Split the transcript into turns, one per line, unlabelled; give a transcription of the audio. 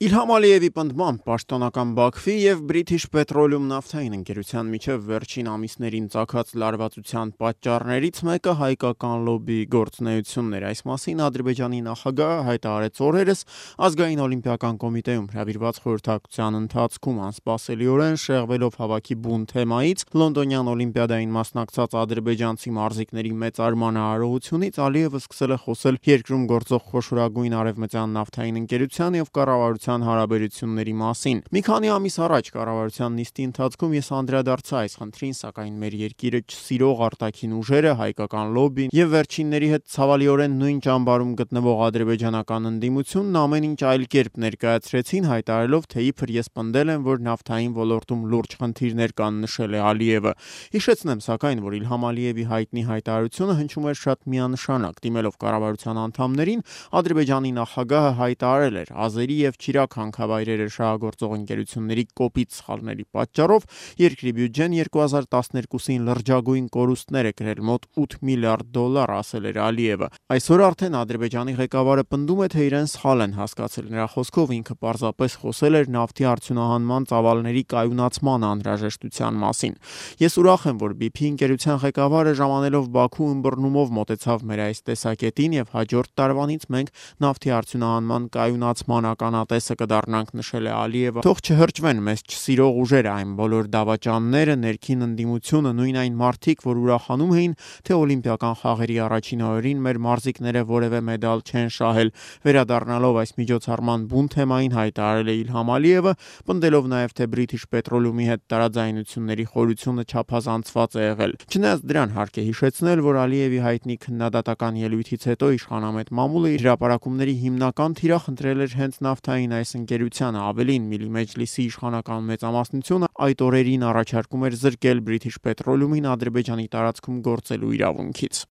Իլհամ Ալիևի պնդմամբ պաշտոնական Բաքվի և British Petroleum նավթային ընկերության միջև վերջին ամիսներին ծագած լարվածության պատճառներից մեկը հայկական լոբբիի գործունեությունն էր։ Այս մասին Ադրբեջանի նախագահը հայտարարեց օրերս Ազգային օլիմպիական կոմիտեում հրավիրված խորհրդակցության ընթացքում անսպասելիորեն շեղվելով հավաքի բուն թեմայից Լոնդոնյան օլիմպիադային մասնակցած ադրբեջանցի մարզիկների մեծարման արարողությունից Ալիևը սկսել է խոսել երկրում գործող խոշորագույն արևմտյան նավթային ընկերության և կառավարության հարաբերությունների մասին։ Մի քանի ամիս առաջ կառավարության նիստի ընթացքում ես անդրադարձա այս խնդրին, սակայն մեր երկիրը չսիրող արտաքին ուժերը, հայկական լոբբին և վերջինների հետ ցավալիորեն նույն ճամբարում գտնվող ադրբեջանական ընդդիմությունն ամեն ինչ այլ կերպ ներկայացրեցին, հայտարարելով, թե իբր ես պնդել եմ, որ նավթային ոլորտում լուրջ խնդիրներ կան, նշել է Ալիևը։ Հիշեցնեմ, սակայն, որ Իլհամ Ալիևի հայտնի հայտարարությունը հնչում էր շատ միանշանակ։ Դիմելով կառավարության անդամներին, Ադրբեջանի նախագահը հայտարարել էր. ազերի և Չիրակ հանքավայրերը շահագործող ընկերությունների կոպիտ սխալների պատճառով երկրի բյուջեն 2012-ին լրջագույն կորուստներ է կրել մոտ $8 միլիարդ, ասել էր Ալիևը։ Այսօր արդեն Ադրբեջանի ղեկավարը պնդում է, թե իրեն սխալ են հասկացել։ Նրա խոսքով ինքը պարզապես խոսել էր նավթի արդյունահանման ծավալների կայունացման անհրաժեշտության մասին։ Ես ուրախ եմ, որ BP ընկերության ղեկավարը ժամանելով Բաքու ըմբռնումով մոտեցավ մեր այս տեսակետին և հաջորդ տարվանից մենք նավթի արդյունահանման կայունացման ականատեսը կդառնանք, նշել է Ալիևը։ Թող չհրճվեն մեզ չսիրող ուժերը, այն բոլոր դավաճանները, ներքին ընդդիմությունը, նույն այն մարդիկ, որ ուրախանում էին, թե օլիմպիական խաղերի առաջին օրերին մեր մարզիկները որևէ մեդալ չեն շահել։ Վերադառնալով այս միջոցառման բուն թեմային հայտարարել է Իլհամ Ալիևը, պնդելով նաև, թե British Petroleum-ի հետ տարաձայնությունների խորությունը չափազանցված է եղել։ Չնայած դրան հարկ է հիշեցնել, որ Ալիևի հայտնի քննադատական ելույթից հետո իշխանամետ մամուլը իր հրապարակումների հիմնական թիրախ ընտրել էր հենց նավթային այս ընկերությանը։ Ավելին, Միլի Մեջլիսի իշխանական մեծամասնությունը այդ օրերին առաջարկում էր զրկել British Petroleum-ին Ադրբեջանի տարածքում գործելու իրավունքից։